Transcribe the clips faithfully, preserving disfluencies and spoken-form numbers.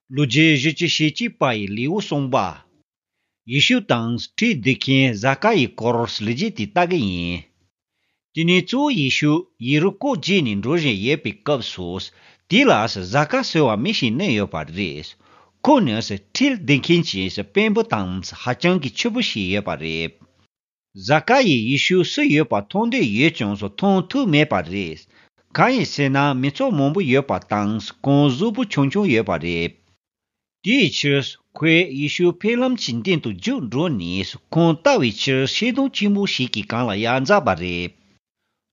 ལོ་རྒྱུས་བཞི་བཅུ་ཞེ་གཅིག་པ་ཡི་ལེའུ་གསུམ་པ། ཡེ་ཤུ་དང་ཁྲིད་སྡོད་མཁན་ཟ་ཀ་ཡི་སྐོར་ལས་རྒྱུ་དེ་ལྟ་གི་ཡིན། དེ་ནས་གཙོ་བོ་ཡེ་ཤུ་ཡེ་རུ་ཀོ་བརྒྱུད་ནས་འགྲོ་བཞིན་ཡོད་པའི་སྐབས་སུ། དེ་ལ་ཟ་ཀ་ཟེར་བ་མི་ཞིག་གནས་ཡོད་པ་རེད། ཁོ་ནི་ཁྲིད་སྡོད་མཁན་གྱི་དཔོན་པོ་དང་ཧ་ཅང་གི་ཕྱུག་པོ་ཞིག་ཡོད་པ་རེད། ཟ་ཀ་ཡིས་ཡེ་ཤུ་སུ་ཡོད་པ་མཐོང་འདོད་ཡོད་ཀྱང་སུ་མཐོང་ཐུབ་མེད་པ་རེད། གང་ཡིན་ཟེར་ན་མི་ཚོགས་མང་པོ་ཡོད་པ་དང་ཁོང་གཟུགས་པོ་ཆུང་ཆུང་ཡོད་པ་རེད། དེའི་ཕྱིར་ཁོས་ཡེ་ཤུ་ཕེབས་ལམ་གྱི་མདུན་དུ་རྒྱུགས་འགྲོ་ནས་ཁོང་ལྟ་བའི་ཕྱིར་ཤིང་སྡོང་ཆེན་པོ་ཞིག་གི་སྒང་ལ་ཡར་འཛེགས་པ་རེད།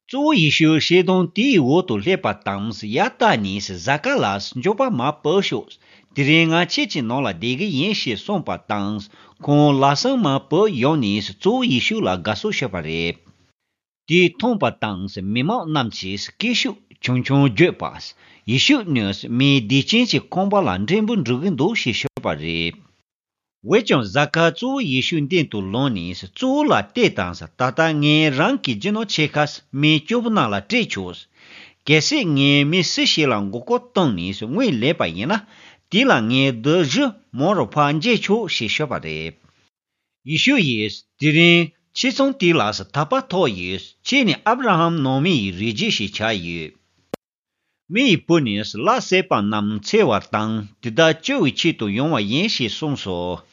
གཙོ་བོ་ཡེ་ཤུ་ཤིང་སྡོང་དེའི་འོག་ཏུ་སླེབས་པ་དང་ཡར་ལྟ་ནས་ཟ་ཀ་ལ་མགྱོགས་པ་མར་བུད་ཤོག་དེ་རིང་ང་ཁྱེད་ཀྱི་ནང་ལ་བསྡད་ཀྱི་ཡིན་ཞེས་གསུངས་པ་དང་ཁོང་ལམ་སེང་མར་བུད་ཡོང་ནས་གཙོ་བོ་ཡེ་ཤུ་ལ་དགའ་བསུ་ཞུས་པ་རེད། དེ་མཐོང་པ་དང་མི་མང་རྣམས་ཀྱིས་སྐད་ཤུགས་ཆུང་ཆུང་བརྗོད་པ། ཡེ་ཤུ་ནི་མིའི་སྡིག་ཅན་གྱི་ཁང་པ་ལ་འབྲས་བུ་འགྲུབ་ཀྱི་འདུག་ཞེས་ཤོད་པ་རེད། འོན་ཀྱང་ཟ་ཀ་གཙོ་བོ་ཡེ་ཤུའི་མདུན་དུ་ལངས་ནས་གཙོ་བོ་ལ་བལྟས་དང་། ད་ལྟ་ངས་རང་གི་རྒྱུ་ནོར་ཕྱེད་ཀ་མི་སྐྱོ་པོ་རྣམས་ལ་སྤྲད་ཆོག་གལ་སྲིད་ངས་མི་སུ་ཞིག་ལ་མགོ་སྐོར་བཏང་ནས་དངུལ་ལེན་པ་ཡིན་ན། དེ་ལ་ངས་བདུད་བཞི་མང་རུ་ཕར་འཇལ་ཆོག་ཞེས་ཤོད་པ་རེད། ཡེ་ཤུ་ཡིས་དེ་རིང་ཁྱེད་ཚང་དེ་ལ་དད་པ་ཐོབ་ཡོད། ཁྱེད་ནི་ཨབ་ར་ཧམ་ནང་མི་ཡི་རིགས་རྒྱུད་ཞིག་ཆགས་ཡོད། མི་ཡི་བུ་ནི་ལྷ་བསད་པ་རྣམས་འཚེ་བ་དང་དེ་དག་བཅོ་བའི་ཆེད་དུ་ཡོང་བ་ཡིན་ཞེས་གསུངས་སོ།